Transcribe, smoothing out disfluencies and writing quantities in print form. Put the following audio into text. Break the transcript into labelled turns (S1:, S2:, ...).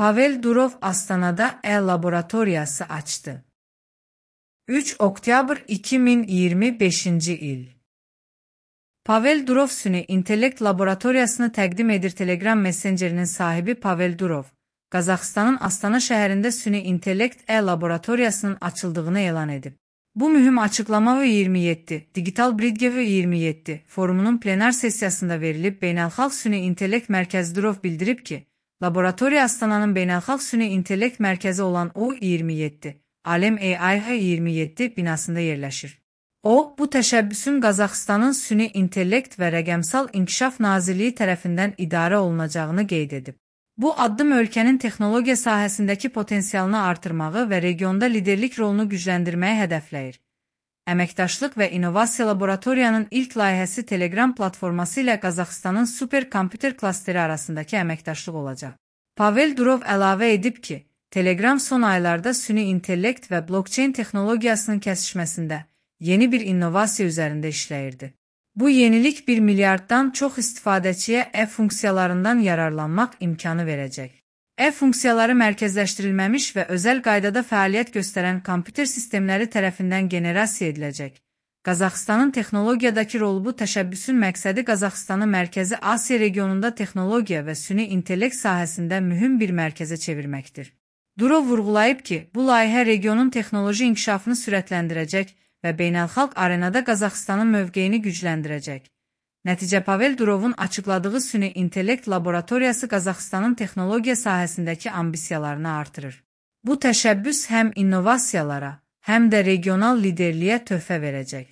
S1: Pavel Durov Astanada e-laboratoriyası açdı. 3 oktyabr 2025-ci il. Pavel Durov Süni İntellekt Laboratoriyasını təqdim edir. Telegram Messengerinin sahibi Pavel Durov, Qazaxıstanın Astana şəhərində Süni İntellekt e-laboratoriyasının açıldığını elan edib. Bu mühüm açıqlama 27 Digital Bridge 27 forumunun plenar sessiyasında verilib. Beynəlxalq Süni İntellekt Mərkəzi Durov bildirib ki, laboratoriya Astananın Beynəlxalq Süni İntellekt Mərkəzi olan O27 Alem AI-27 binasında yerləşir. O, bu təşəbbüsün Qazaxıstanın Süni İntellekt və Rəqəmsal İnkişaf Nazirliyi tərəfindən idarə olunacağını qeyd edib. Bu addım ölkənin texnologiya sahəsindəki potensialını artırmağı və regionda liderlik rolunu gücləndirməyi hədəfləyir. Əməkdaşlıq və İnnovasiya Laboratoriyanın ilk layihəsi Telegram platforması ilə Qazaxıstanın superkomputer klasteri arasındakı əməkdaşlıq olacaq. Pavel Durov əlavə edib ki, Telegram son aylarda süni intellekt və blockchain texnologiyasının kəsişməsində yeni bir innovasiya üzərində işləyirdi. Bu yenilik 1 milyarddan çox istifadəçiyə e-funksiyalarından yararlanmaq imkanı verəcək. E-funksiyaları mərkəzləşdirilməmiş və özəl qaydada fəaliyyət göstərən kompüter sistemləri tərəfindən generasiya ediləcək. Qazaxıstanın texnologiyadakı rolu bu təşəbbüsün məqsədi Qazaxıstanı Mərkəzi Asiya regionunda texnologiya və süni intellekt sahəsində mühüm bir mərkəzə çevirməkdir. Durov vurğulayıb ki, bu layihə regionun texnoloji inkişafını sürətləndirəcək və beynəlxalq arenada Qazaxıstanın mövqeyini gücləndirəcək. Nəticə Pavel Durovun açıqladığı süni intellekt laboratoriyası Qazaxıstanın texnologiya sahəsindəki ambisiyalarını artırır. Bu təşəbbüs həm innovasiyalara, həm də regional liderliyə töhfə verəcək.